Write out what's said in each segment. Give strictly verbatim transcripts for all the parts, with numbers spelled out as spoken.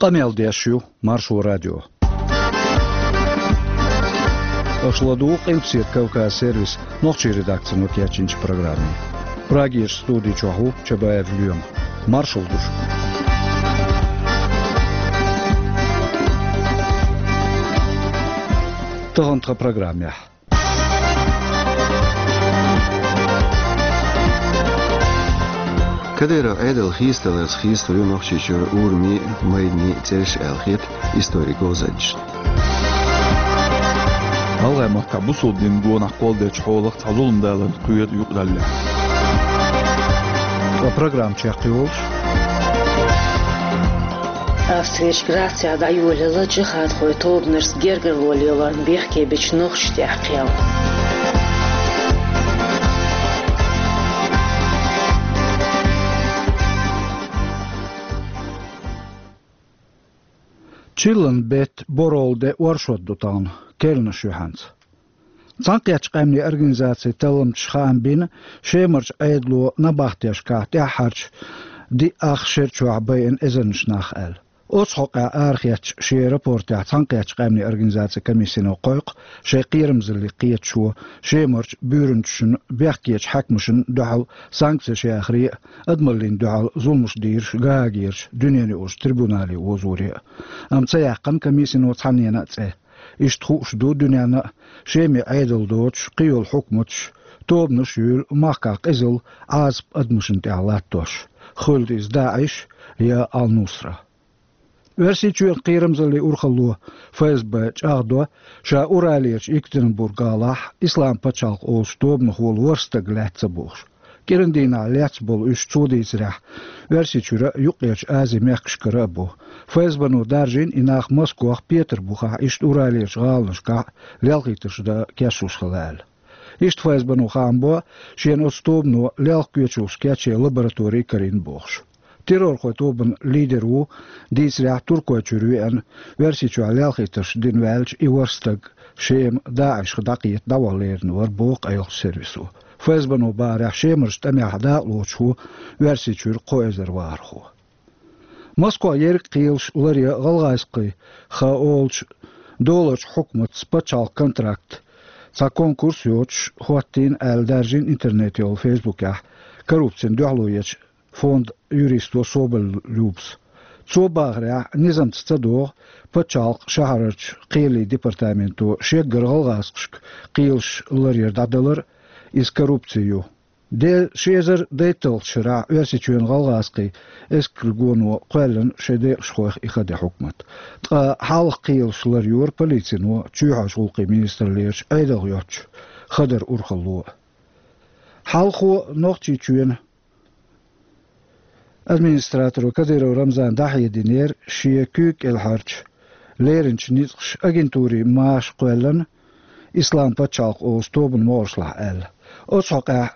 Къамел деш ю Маршо радио. Аша ладугӀу Къилбаседа Кавказ сервисан нохчийн редакцино кечйинчу программе. Прагерчу студи чохь ву Чабаев Лоьма. Маршалла ду шуьга. Тахана тхан программехь. Кадыров Ӏедал хийцадаларца хийцалур ю Нохчийчуьра урамийн, майданийн цӀераш аьлла хета историн говзанчашна. ГӀалгӀайн махкахь бусалба динан гонах кхолладечу хьолах цхьа зуламдалар кхоьру юкъараллехь. Ткъа программа чекхйолуш. Австрерчу Грацехь дӀайолаелла джихадхойн тобанашца гергарло лелорна бехке бечу нохчашна тӀехь кхел. Чиллан беттан боралла де оршот ду тахана, керланаш юьхьанца. Цхьаьнакхеттачу къаьмнийн организацин талламчаша хаам бина, Шемарчу Ӏедало набахтешкахь тӀаьххьарчу диъ ах шера чохь байина эзарнаш нах аьлла. Оцу хьокъехь арахецначу шен рапортехь Цхьаьнакхеттачу къаьмнийн организацин комиссино кхойкху, шайн кхерамзаллин кхеташо Шемарчу буьйранчашна, бехкечу хьаькамашна дуьхьал санкцеш яхаре а, адамаллина дуьхьал зуламаш дийраш Гаагерчу дуьненаюкъарчу трибунале озоре а. Амма ца яьккхина комиссино цхьаннена а цӀе. Иштта хууш ду дуьненна а, Шеман Ӏедал доцуш, кхийолу хьукматаш, тобанаш а юьйлу махкахь къизалла, Ӏазап адамашна тӀехь латтош, хуьлда иза ДаӀиш я Ал-Нусра. Оьрсийчоьнан кхерамзаллин урхалло ФСБ чӀагӀдо, ша Уралерчу Екатеринбург-гӀалахь Ислам пачхьалкх олучу тобанах волу ворхӀ стаг лаьцна ца бохуш. КӀиран дийнахь лаьцна болу уьш, цо дийцарехь, Оьрсийчуьра а, Юккъерчу Азин мехкашкара а бу. ФСБ-но даржийна и нах Москох, Петарбухахь, иштта Уралерчу гӀаланашкахь лелхийтарш дан кечлуш хилла аьлла. Иштта ФСБ-но хаам бо, шена оцу тобано лелха коьчалш кечъян лаборатори а карийна бохуш. Террорхойн тобанан лидер ву, дийцарехь, Туркойчуьра веана, Оьрсийчохь лелхийтарш дина ваьлча, и ворхӀ стаг Шема ДаӀишах дӀакхета дӀаваха лерина вара, боху къайлахчу сервисо. ФСБ-но бахарехь, Шемарчу тӀамехь дакъалоцуш ву Оьрсийчуьра кхо эзар вахархо. Москох ерриг а кхелаш ларъян гӀалгӀазкхий хан олучу долларчу хьукматца пачхьалкхан контракт, цхьа конкурс йоцуш, хӀоттийна аьлла, даржийна интернетехь, Фейсбукехь коррупцина дуьхьало ечу фондан юристо Соболь Любас. Цо бахарехь, низамца ца догӀу пачхьалкхан шахьарарчу кхелийн департаменто шеггара гӀалгӀазкхашка кхелаш ларъяр дӀадалар, иза коррупци ю. Де ши эзар дейтталгӀачу шарахь Оьрсийчоьнан гӀалгӀазкхийн эскаргоно кхоьллина шайн декъашхойх и хан де хьукмат. Ткъа хьалха кхелаш ларйора полицино, чоьхьарчу гӀуллакхийн министраллерчу Ӏедалх йоцчу хадаран урхалло. Хьалхо Нохчийчоьнан администраторо Кадыров Рамзана дӀахьединера шен куьйга кӀелхьарчу леринчу ницкъаша агентурин маша кхоьллина Ислам пачхьалкх олучу тобанан могӀаршлахь аьлла. Оцу хьокъехь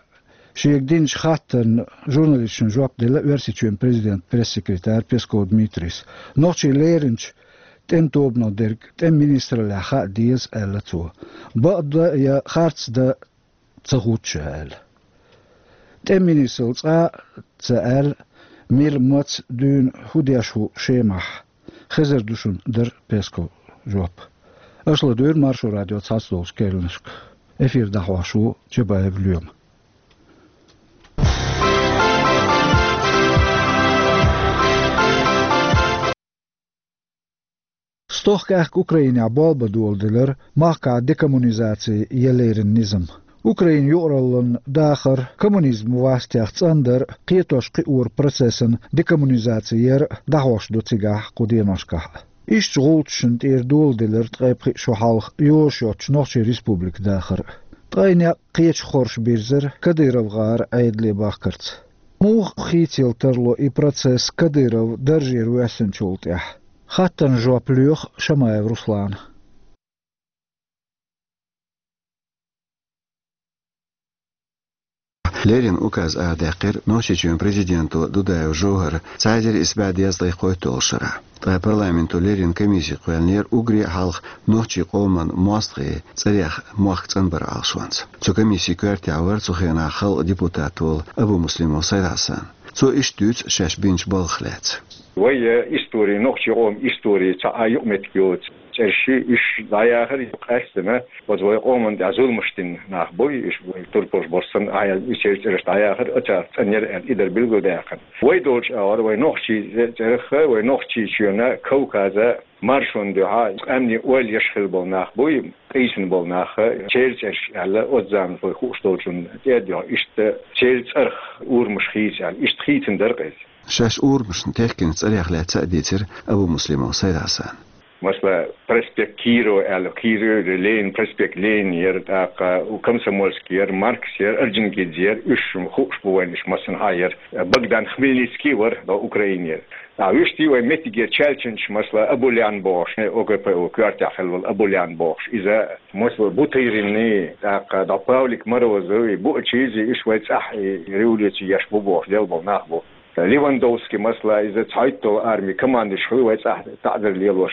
шега динчу хаттарна журналисташна жоп делла Оьрсийчоьнан президентан пресс-секретарь Песков Дмитрийс. Нохчийн леринчу тӀеман тобанах дерг тӀеман министраллехь хаа деза, аьлла цо. Бакъдан я харцдан ца хууш ду аьлла. ТӀеман министралла цкъа а ца аьлла, мила, маца, дуьйна хӀун деш ву Шемахь, хезар ду шуна, дара Песковн жоп. Аша ладуьйгӀира Маршо радион цхьацдолчу керланашка. Эфир дӀахьош ву Чабаев Лоьма. Стохка аьхка Украинехь болх бан доладелира махкахь декоммунизаци я леррина низам. Украинан юкъараллин дахар коммунизман вастех цӀандар а, кхетош-кхиоран процессан декоммунизаци яр а дӀахьош ду цигахь кху деношкахь а. Иштта гӀулчашна тӀера доладелира ткъе пхиъ шо хьалха йозуш йоцчу Нохчийн Республикан дахар а. Ткъе некъ кхечу хорша бирзира Кадыров-гӀара Ӏедале бахкарца. Муха хийцаялла тарло и процесс Кадыров даржера воьссинчул тӀаьхьа? Хаттарна жоп лоьху Шамаев Руслана. Леррина указ арадаьккхира Нохчийчоьнан президенто Дудаев ЖовхӀара цхьа эзар исс бӀе дезткъе кхойтталгӀачу шарахь. Ткъа парламенто леррина комисси кхоьллинера уггаре а хьалха нохчийн къоман мостагӀийн цӀарех мохк цӀанбаран Ӏалашонца. Цу комиссин коьртехь вара цу хенахь халкъан депутат волу Абумуслимов Сайд-Хьасан. Цо иштта дуьйцу шаьш бинчу балхах лаьцна. Вай, э, истори, нохчий къоман истори цхьа а юкъаметтиг йоцу цӀераш, уьш дӀаяхар къаьстина, оцу вай къоман тӀехь зуламаш дина нах бу, уьш вай турпалш болуш санна, а, и церан цӀераш дӀаяхар, оцарах цӀанъяра аьлла, и дара билгалдаьккхина. Вай долчу агӀор, вай нохчий цӀе-, цӀерах, вай Нохчийчоьнан, Кавказан маршонна дуьхьа къаьмнийн ойла еш хилла болу нах бу, къийсина болу нах, церан цӀераш аьлла, оцу заманахь вай хууш долчунна тӀе а дуьхьа, иштта церан цӀарах урамаш хийца аьлла, иштта хийцина дара-кх иза. Шаьш урамашна техкинчу цӀарех лаьцна а дийцира Абумуслимов Сайд-Хьасана. Масала, проспект Кирова аьлла, Кирова, Ленин, проспект Ленин яра, тӀаккха Комсомольский яра, Маркс яра, Орджоникидзе яра, уьш хууш бу вайна, уьш массанхьа яра. Богдан Хмельницкий вара, до Украинера. А вуьшта вай меттигера чаьлчанчаш, масала, Абулян бохуш, ОГПУ коьртехь хилла волу Абулян бохуш, иза, масала, Бутырины, тӀаккха до Павлик Морозовы, буучизи, уьш вай цӀахь и революци еш бу бохуш, делла болу нах бу. Левандовский, масала, иза цхьайтталгӀа арми командующий хилла вай цӀахь таӀзар лелош,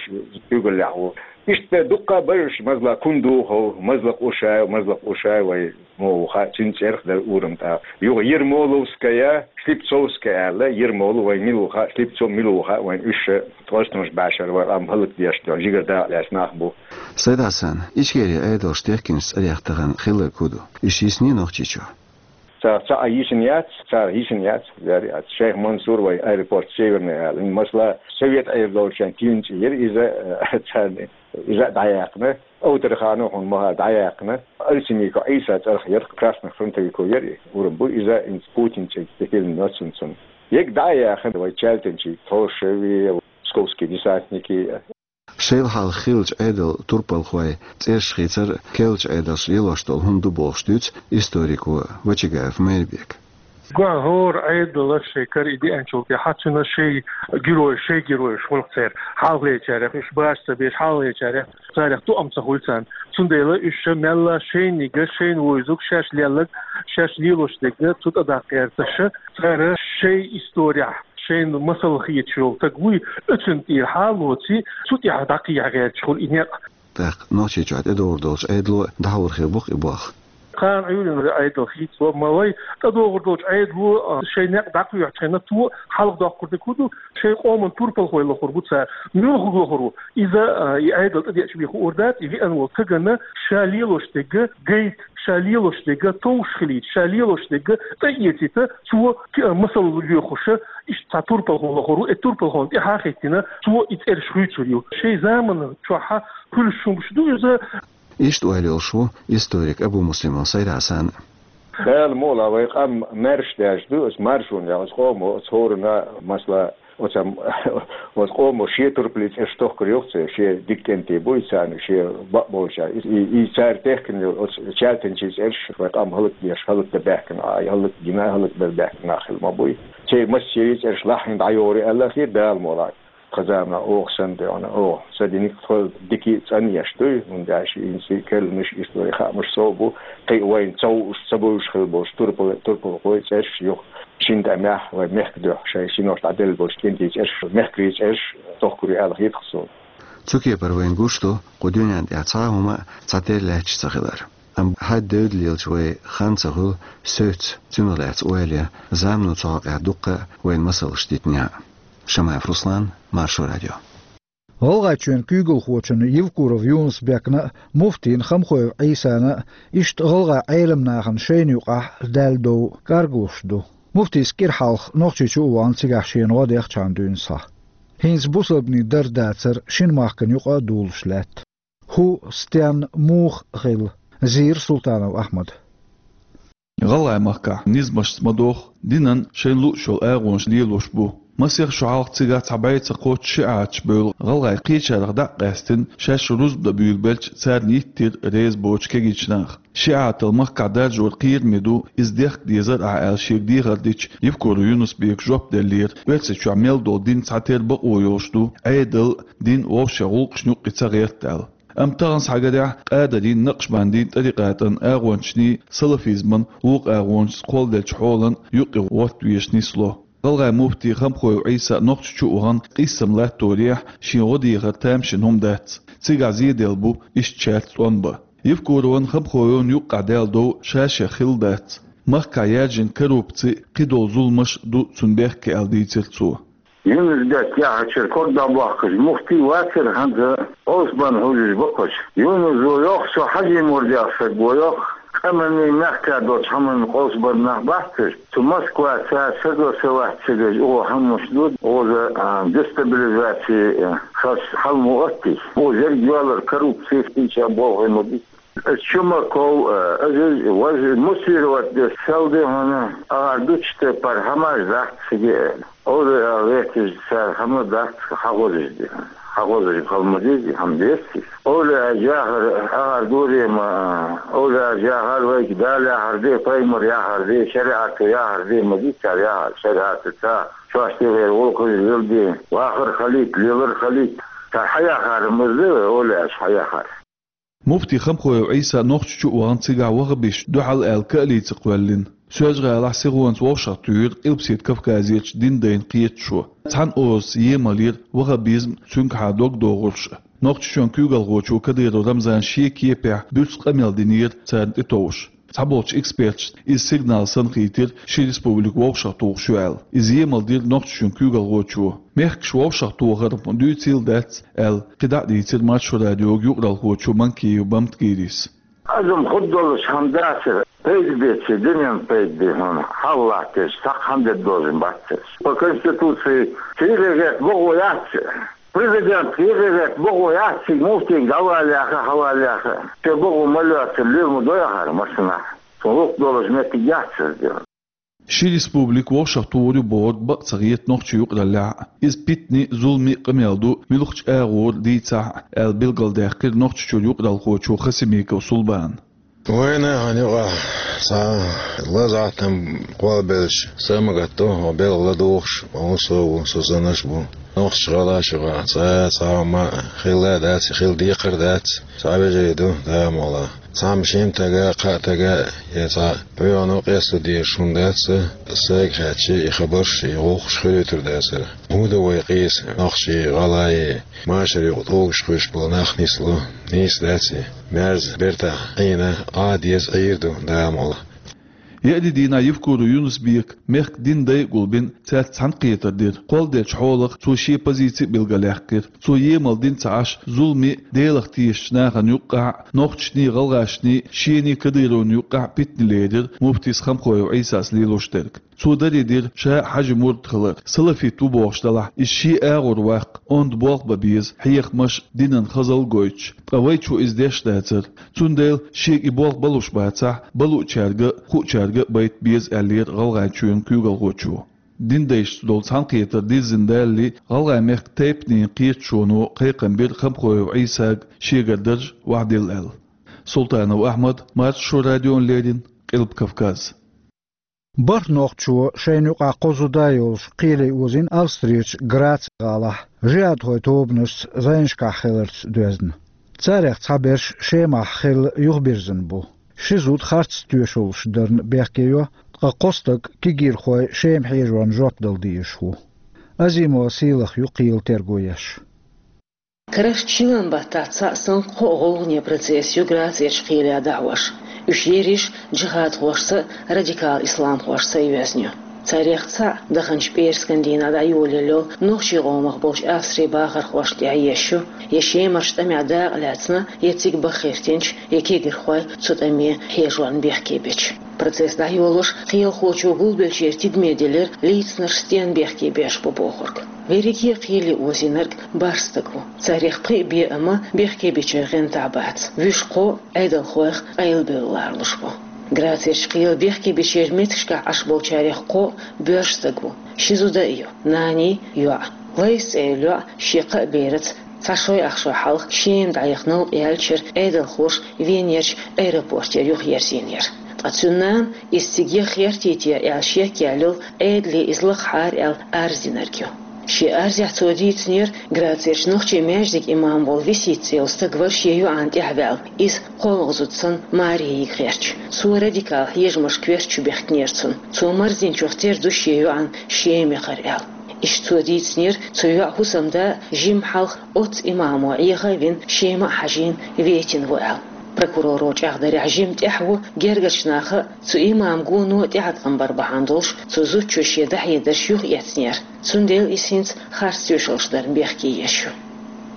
куьйгаллехь ву. Иштта дуккха а бара уьш, масала, Кундухов, Мазлакъ Ушаев, Мазлакъ Ушаев вай муха ву хаьа, цуьнан цӀерах дара урам тӀаккха. Юха Ермоловская, Слепцовская аьлла, Ермолов вайн мила ву хаьа, Слепцов мила ву хаьа вайн, уьш тӀостамаш башар вай къам хӀаллакдеш, тӀе жигара дакъа лаьцна нах бу. Сайд-Хьасан, Ичкерин Ӏедалш техкинчу цӀарех тахана хилларг хӀун ду? Уьш йисний Нохчийчохь? Цара цхьа а йисина яц, цара йисина яц, яра яц. Шайх Мансур вай аэропорт Северный аьлла. Масала, Совет Ӏер долчу шайн кийна цӀе яра иза, царна иза а дӀаяьккхина. Аутарханов хьуна мохь дӀаяьккхина. Арсенников Ӏийса цӀарах яра, красных фронтовиков яра, урам бу иза, хӀинца Путин цӀе тӀе хилла ноцун цунна. Ега дӀа а яьккхина, вай чаьлтинчий Толшеви, московский десантники. Шайла хьалха хиллачу Ӏедалан турпалхойн цӀераш хийцар керлачу Ӏедалша лелош долу хӀума ду бохуш дуьйцу историко Вачагаев Майрбека. Гуьнан хӀора Ӏедало шайн кара и деанчул тӀаьхьа цуьнан шайн герой, шайн геройш хуьлу церан хьалхалерчарех, уьш баш ца беш хьалхалерчарех, царех тоам ца хуьлу царна. Цундела уьш ша мелла шайниг, шайна вовзарг, шаьш лелларг, шаьш лелош дерг цу тӀе даккха гӀерташ, цара шайн исторехь шайна масал хеташ йолу стаг вуй, оьцунна тӀера хьалоций, цу тӀехь дӀакхехьа гӀерташ хуьлу и некъ. ТӀаккха Нохчийчохь тӀедогӀур долчу Ӏедало дӀахьур хир бу-кх и болх. Кхана Ӏуьйранна Ӏедал хийцало, ма вай, тӀедогӀур долчу Ӏедало, а, шайн некъ дӀакхоьхьучу хенахь, цо хьалха доккхур дерг хӀун ду, шайн къоман турпалхой лохур бу цара. Муьлхарг лохур ву? Иза, а, и Ӏедал тӀедеача бен хуур дац, и веана волу стагана ша лелош дерг гайта, ша лелош дерг товш хилийта, ша лелош дерг тӀеэцийта, цо ки-, масал лоьхуш, иштта цхьа турпалхо лохур ву, и турпалхонна тӀаьхьа а хӀиттина, цо и цӀераш хуьйцур ю. Шайн замана чохь хуьлуш хӀумаш ду иза. Иштта ойла йолуш ву историк Абумуслимов Сайд-Хьасан. Дала мукъалахь, вай къам маьрша даьржа ду, оцу маршонна, оцу къомо, оцу хӀоранна, масала, оцу, оцу къомо шен турпалан цӀераш тохкур ю-кх церан, шен дика кӀентий буй царна, шен бакъ болчара. И, и, и цара техкина йолу оцу чаьлтинчийн цӀераш вай къам хӀаллакдеш, хӀаллакдан баьхкина, а, хӀаллакдина, хӀаллакбар баьхкина нах хилла ма буй. Церан массеран цӀераш лахьийна дӀайогӀур ю аьлла хир Дала мукъалахь. Тхан заманахь оха санна, тхо, сан диниг тхо дика цӀанъеш дуй, хӀунда аьлча хӀинца керланаш, историн хаамаш сов бу, кхин а вайна ца хууш, ца бевзаш хилла болчу турпал-, турпалхойн цӀераш юха шина тӀамехь вайн мехкан дуьхьа шайн синош дӀаделла болчу кӀентийн цӀераш, мехкарийн цӀераш тохкур ю аьлла хета-кх суна. Цу кепара вайна гуш ду кху дуьнен тӀехь цхьа а хӀума цхьатерра лаьтташ ца хилар. Амма хьаьдда девдалелча вай хан ца хуьлу соьца, цунах лаьцна ойла ян, замано цу хьокъехь дуккха а вайна масалш дитинехь а. Шамаев Руслан, Маршо радио. ГӀалгӀайчоьнан куьйгалхочунна Евкуров Юнус-Бекна а, муфтийна Хамхоев Ӏийсана а иштта гӀалгӀайн Ӏеламнахана шайна юкъахь даьлла дов кӀаргалуш ду. Муфтийс кӀира хьалха Нохчийчу а вахана, цигахь шена гӀо дехчахьана дуьйна схьа. ХӀинца бусалбанийн дар-дацар шина махкана юкъа а дулуш лаьтта. ХӀун, стенна, муха хилла, зийра Султанов Ахьмада. ГӀалгӀай махкахь низамашца ма доху, динан шайна лууш йолу агӀонаш лелош бу. Масех шо хьалха цигахь цхьа бӀе ца кхоччу шиӀаташ бевлла гӀалгӀай кхечарах дӀа а къаьстина, шаьш рузба дан буьйлабелча, царна йиттира реза боцуш кегийчу наха. ШиӀатал махкахь даржор кхераме ду, иза дехка дезара ахьа аьлла шега дехар дича, Евкуров Юнус-Бека жоп деллера, Оьрсийчохь мел долу дин цхьатерра бакъо йолуш ду, Ӏедал, дин вовшийн гӀуллакхашна юккъе ца гӀерта аьлла. Амма тахана схьагарехь, Къадарийн, Накъшбандийн тӀарикъатан агӀончашний, салафизман вукху агӀончашца кхолладеллачу хьолан юккъе гӀорта везаш нисло. ГӀалгӀайн муфти Хамхоев Ӏийса Нохчийчу а вахана, къийсам латторехь, шен гӀо дехар тамашийна хӀума дац. Цигахь зеделла бу иштта шаьрца тӀом бан. Евкуровн, Хамхоевн юккъехь даьлла дов ша-шех хилла дац. Махкахь яьржина коррупци, кхидолу зуламаш ду цунна бехке аьлла дийцира цо. Юнус-Бек яхачуьра ког дӀабоаккхаш муфти вацар, хӀанз къовсабенна хьожаш ба-кх уж. Юнусо йоах, со Хьажий мурд яха саг ва йоах, къаманна, мехка долча хӀаманна къовсабенна нах бац уж. Цу Москваца согласовать ца деш, укхо хӀама мишта ду, укхаза, а, дестабилизаци, а, хас хьал ма оттий. Укхаза еррига йоалар коррупци, кхыча болх ма дий. Чумаков, э, Азиз, вож муссировать деш сел ди хьона, агӀар дуча тайпара хӀамаш дац цига. Оле а вехкаш цар хӀама дац хьахозаш ди. Хьахозаш хала ма дий, хӀама деций. Оле а яхар, агӀар дурема, оле а яхар вайга Дала яхар ди, пайхамар яхар ди, шариӀато яхар ди ма дий цар яхар, шариӀатаца чош тӀера гӀулакхаш леладе, вахар хилийта, лелар хилийта. Цар хьаяхар ма дий, оле аш хьаяхар. Муфти Хамхоев Ӏийса Нохчийчу а вахана, цигахь ваххабисташна дуьхьал аьлла каалица кхоьллина. Соьлжа-ГӀалахь сихонца вовшахтоьхира Къилбаседа Кавказерчу динан дайна кхеташо. Цхьана озаца емал йира ваххабизм, цуьнгахьа дог догӀурш а. Нохчийчоьнан куьйгалхочо Кадыров Рамзана шен кепехь буьрса къамел динера царна тӀетовжаш. Цхьаболчу эксперташна иза сигнал санна хийтира, ши республика вовшахтухуш ю аьлла. Иза емал дира Нохчийчоьнан куьйгалхочо. Мехкаш вовшахтохар-м дуьйцийла дац аьлла, кхидӀа а дийцира Маршо радиога юкъаралхочо Манкиев Бамтгирис. Азам хӀун долуш хӀама дацара, пайда беце, дуьненна пайда бе хьуна, хьалха латташ, цхьаккха хӀама де дозийна бац цаьрца. По Конституции цигара гӀерта бохо яц, президент цигара гӀерта бохо яц, цига муфтига дӀавала яха, хьавала яха. Цо бохо ма лоьцура, лела ма до яхара массанхьа. Цунна гӀуллакх долуш меттиг яц иза. Ши республика вовшахтухур ю бохург бакъ ца хета нохчийн юкъараллехь а. Иза питане а, зуламе а къамел ду, муьлххачу агӀор дийцахь а, аьлла билгалдаьккхира Нохчийчуьра юкъаралхочо Хасимиков Сулбана. Вайна хьан юкъахь цхьа лазахь там кхолбелча, са а ма гатдо, хьо белхан ладугӀуш, хьо хӀун со ву, со санаш а бу. Нохчийн гӀалгӀашна юкъахь цхьа а цхьа хӀума хилла а дац, хила декхар а дац, цхьа вежарий ду, Дала мукъ лахь. Цхьамма шимма тага, кхаа тага, я цхьа пхьоьгӀано къесто дезаш хӀума дац, сайга хаьттича, и хабарш, и гӀуллакхаш хуьлуьйтур дацара. ХӀун ду вай къийса, нохчий, гӀалгӀай, машар юкъа тӀулгаш кхуьйсуш болу нах нисло, нийса дац и. Маьрза бертахь Ӏийна, Ӏа деза Ӏийр ду, Дала мукъ лахь. Еарин дийнахь Евкуров Юнус-Бека мехкан динан дай а гулбина, цаьрца цхьаьнакхетар дира. Кхолладеллачу хьолах цо шен позици а билгалъяьккхира. Цо емал дина ца Ӏаш, зуламе а, Делах тешачу нахана юккъехь а, нохчашний, гӀалгӀашний, шений, Кадыровн юккъехь а питане лерира муфтис Хамхоев Ӏийсас лелош дерг. Цо даре дира ша а Хьажин мурд хилар. Салафит ву бохуш делахь, иза шен агӀор ваккха, онда болх бан беза, хьехамаш а, динан хазалла а гойтуш. Ткъа вайчо иза деш дацара. Цундела шега и болх балуш бацахь, балуучаьрга а, хуучаьрга а байта беза, аьллера ГӀалгӀайчоьнан куьйгалхочо. Динан дайшца долу цхьаьнакхетар дирзина далале, ГӀалгӀай-мехкан тайпанийн кхеташоно кхайкхам бира Хамхоев Ӏийсага шегара дарж охьадилла аьлла. Султанов Ахьмад, Маршо радиона леррина, Къилба Кавказ. БархӀ нохчо шайна юкъахь кхо зуда йолуш кхеле озийна Австрерчу Граци-гӀалахь, жихӀадхойн тобанашца зӀенашкахь хиларца доьзна. Царех цхьаберш Шемахь хилла юхабирзина бу. Ши зуда харц тоьшаллаш дарна бехке йо, ткъа кхо стаг кегийрхой Шема хьежорна жоп дала дезаш ву. Азимова Сийлаха ю кхелан терго еш. Карарчу шина баттахь цхьаъ санна кхо а гӀулгӀане процесс ю Грацерчу кхеле дӀахьош. Уьш ерриш а джихӀадхошца а, радикал исламхошца а йоьзна ю. Царех цхьаъ даханчу пӀераскан дийнахь дӀайолаелла йолу нохчийн къомах болчу Австрин бахархошна тӀехь езаш ю, я Шемарчу тӀамехь дакъа лаьцна, я цига баха хӀоьттинчу, я кегийрхой цу тӀаме хьежорна бехке бечу. Процесс дӀайолош кхелахочо гулбеллачеран тидаме делира лийцинарш стенна бехке беш бу бохург. Верриге а кхеле озийнарг бархӀ стаг ву. Царех пхиъ бен а ма бехке бечеран гӀантахь бац. Вуьш кхо а Ӏедалхойх къайлабевлла лоруш бу. Грацерчу кхеле бехке бечеран меттигашкахь Ӏаш болчарех кхо а боьрша стаг ву. Ши зуда а ю, наний, йоӀ. Лайс цӀе йолу йоӀ шен кхаа бераца цхьа шой ах шо хьалха Шема дӀаяхна новкъа яьллачуьра Ӏедалхоша Венерчу аэропортера юхаерзийнера. Ткъа цуьнан нана иза цига яха гӀертийта аьлла шек яьлла йолу, Ӏедале иза лакхахьара аьлла арз динарг ю. Шен арзехь цо дийцинера, Грацерчу нохчийн маьждиган имам волу Висита цӀе йолу стаг вара шен йоӀана тӀаьхьаваьлла, иза кхоалгӀа зуда санна маре йига гӀерташ. Цо радикал хьежамашка коьртачу бехкинера цунна. Цо марздинчух тера ду шен йоӀана Шема яхар аьлла. Иштта цо дийцинера, цу йоӀан хӀусамда жимма хьалха оццу имамо Ӏеха а вина, Шема а хьажийна, ветина ву аьлла. Прокуроро чӀагӀдарехь, жимма тӀехь ву гергарчу наха а, цу имаман гоно а тӀеӀаткъам бар бахьана долуш, цу зудчо шен дӀахьедарш юхаэцнера. Цундела иза хӀинца харц тоьшаллаш дарна бехке еш ю.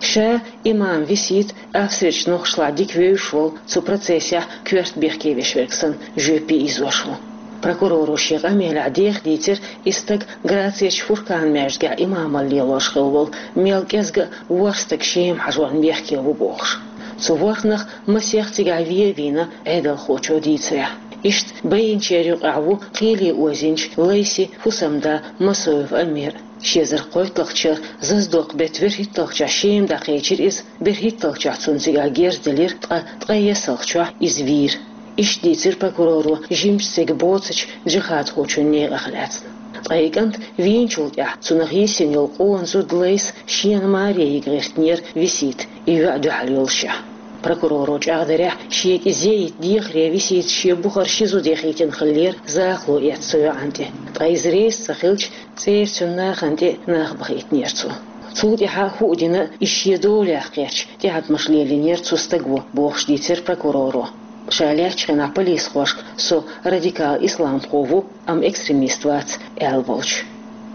Ша имам Висит Австрерчу нохчашлахь дика вевзаш волу, цу процессехь коьрта бехке веш верг санна, жоьпе ийзош ву. Прокуроро шен къамелехь деха дийцира, и стаг Грацерчу Фуркан-маьждигехь имамалла лелош хилла волу, мел кӀезга а ворхӀ стаг Шема хьажорна бехке ву бохуш. Цу ворхӀанах масех цигахь вен а вийна, Ӏедалхочо дийцарехь. Иштта байинчеран юкъахь ву кхеле озийначу Лайсин хӀусамда Масоев Амир. Ши эзар кхойтталгӀачу шарахь зазадоккху беттан берхӀитталгӀачохь Шема дӀакхечира иза, берхӀитталгӀачохь цунна цигахь герз делира, ткъа ткъе ессалгӀачохь иза вийра. Иштта дийцира прокуроро жимачу стеган боцучу джихадхочун некъах лаьцна. Ткъа и кӀант вийначул тӀаьхьа цунах йисина йолу къона зуда Лайса шена маре йига гӀиртинера Висита, и йоӀ дуьхьал йолушехь. Прокуроро чӀагӀдарехь, шега и зе йита дехаре Висита шен бухара ши зуда яхийтина хиллера, захало эцна цу йоӀана тӀе. Ткъа иза реза ца хилча, цӀера цуьнан нахана тӀе нах бахийтинера цо. Цул тӀаьхьа хӀуъа дина, и шен долехь кхетча, тӀеӀаткъамаш лелийнера цу стага, бохуш дийцира прокуроро. Ша лаьттачу хенахь полисхошка: «Со радикал исламхо ву, амма экстремист вац», — аьлла волчу.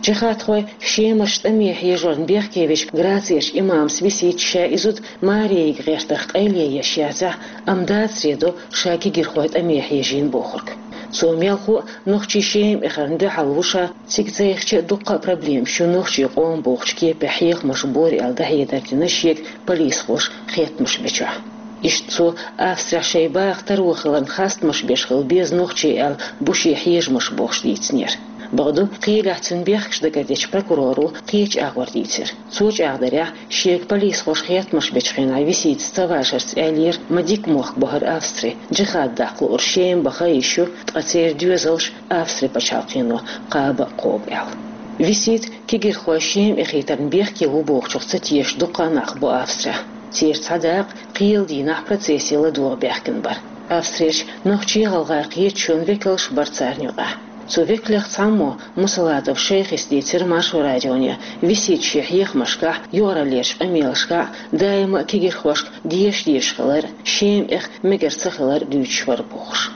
Джихадхой Шемарчу тӀаме хьежорна бехке вечу Грацерчу имамас Виситас ша и зуда маре йига гӀертарх къайле еш яцахь, амма дацаре до ша кегирхойн тӀаме хьежийна бохург. Цо мелхо а нохчий Шема эхарна дуьхьал ву ша, цига цайхича а дуккха а проблемаш ю нохчий къоман бохучу кепехь хьехамаш бора аьлла дӀахьедар дина шега полисхоша хеттамаш бечохь. Иштта цо Австрехь шайн баха таро хиларна хастамаш беш хила беза нохчий аьлла бу шен хьежамаш бохуш дийцинера. Бакъду, кхелехь цуьнан бехкаш дагардечу прокуроро кхечу агӀор дийцира. Цо чӀагӀдарехь, шега полисхоша хеттамаш бечу хенахь Виситас ца вашарца аьллера, ма дика мохк бу хӀара Австри, джихад даккха луург Шема баха йиш ю, ткъа церан доьзалш Австри пачхьалкхено кхаба а кхобу аьлла. Висита кегирхой Шема эхийтарна бехке ву бохучух ца тешаш дуккха а нах бу Австрехь. Церан цхьа дакъа кхелан дийнахь процессе ладогӀа баьхкина бара. Австрерчу нохчийн-гӀалгӀайн кхеташонан векалш бара царна юкъахь. Цу векалех цхьаммо, Мусалатов Шайхис, дийцира Маршо радионе, Висита шен хьехамашкахь, юкъараллерчу къамелашкахь даима а кегирхошка деша дезаш хилар, Шема эха мегар ца хилар дуьйцуш вара бохуш.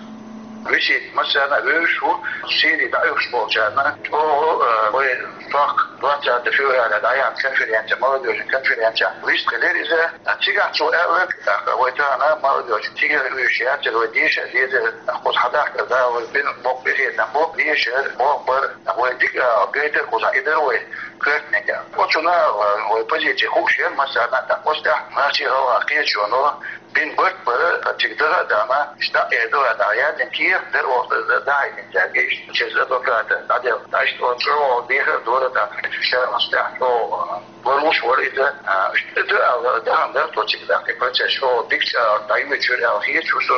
Висита массарна а вевзаш ву, Сири дӀаоьхуш болчарна чӀогӀа, а, вай сох двадцатого февраля дӀаяьхьна конференция, молодёжный конференция, вистхилира иза. Цигахь цо аьлларг, тӀаккха вай тахана молодёжь цигара вуьйш яцара, вай деша дезара, кхуза хьадахкар да, вай бина боккха къинхетам бу, дешар, бохбар, вай дика гайтар кхузахь, и дара вай коьртаниг. Оцунах вай позиция хууш яра массарна а, тӀаккха оцу тӀехь нохчийн-гӀалгӀайн кхеташоно бина барт бара, цига даха а дахана, иштта дӀа а эр дала дӀа яздина кехат дара оха дӀахьаьддина цаьрга, иштта через адвоката дӀаделла. Иштта оцу чӀогӀа дехар а дора тӀаккха, ша оцу тӀехь чӀогӀа лоруш вара иза, а, иштта ду аьлла, дахана дара тхо цига тӀаккха, и процесс чӀогӀа дикачу агӀор дӀайоьдуш яра аьлла хеташ ву со.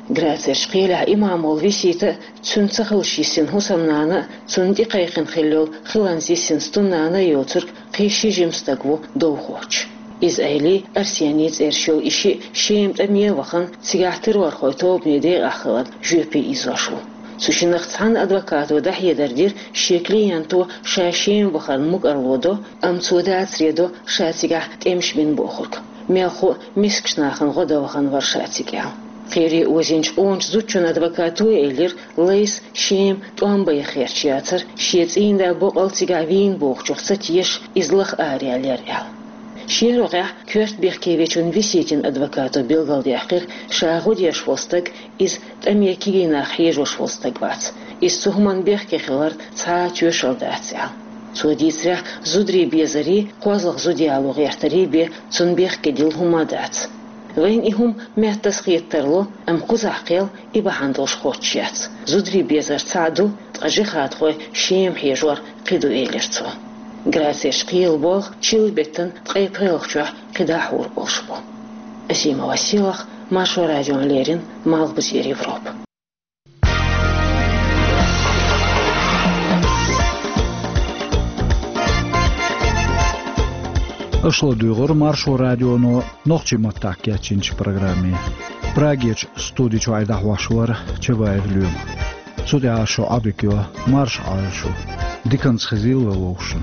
Грацерчу кхелехь имам волу Висита а, цуьнан ца хилча йисина хӀусамнана а, цунна тӀекхайкхина хилла йолу хиланца йисина стуннана а йоцург кхин ши жима стаг ву довхочуш. Иза-Айли, Арсени цӀераш йолу и шиъ Шема тӀаме а вахана, цигахь террорхойн тобанан декъахь хиларна жоьпе ийзош ву. Цу шиннах цхьана адвокато дӀахьедар дира, шен клиенто ша Шема вахарна мукӀарло до, амма цо дацаре до ша цигахь тӀемаш бина бохург. Мелхо а мискачу нахана гӀо дан вахана вара ша цига аьлла. Кхеле озийначу къоначу зудчун адвокато а элира, Лайса Шема тӀом бан яхарш яцара, шен цӀийнда боккъал цигахь вийна бохучух ца тешаш, иза лаха араяьллера аьлла. Шен рогӀехь коьрта бехке вечун Виситин адвокато билгалдаьккхира, ша гӀо деш волу стаг, иза тӀаме кегий нах хьежош волу стаг вац. Иза цу хӀуманна бехке хиларна цхьа а тоьшалла дац аьлла. Цо дийцарехь, зударийн безарий, кхозлагӀа зуда яло гӀертарий бен цунна бехке дилла хӀума а дац. Вайна и хӀума меттаза хета тарло, амма кхузахь кхел и бахьана долуш хоттуш яц. Зударийн безар цхьаъ ду, ткъа жихадхой Шема хьежор кхин ду, элира цо. Грацерчу кхелан болх чиллан беттан ткъе пхелагӀчохь кхидӀа хьур болуш бу. Асимова Селах, Маршо радиона леррина, Малхбузера Европа. Аша ладуьйгӀира Маршо радионо нохчийн маттахь кечйинчу программе. Прагерчу студи чуьра дӀахьош вара Чабаев Лоьма. Цу тӀехь шу Ӏадика йо, марша Ӏойла шу. Диканца хезийла вай вовшашна.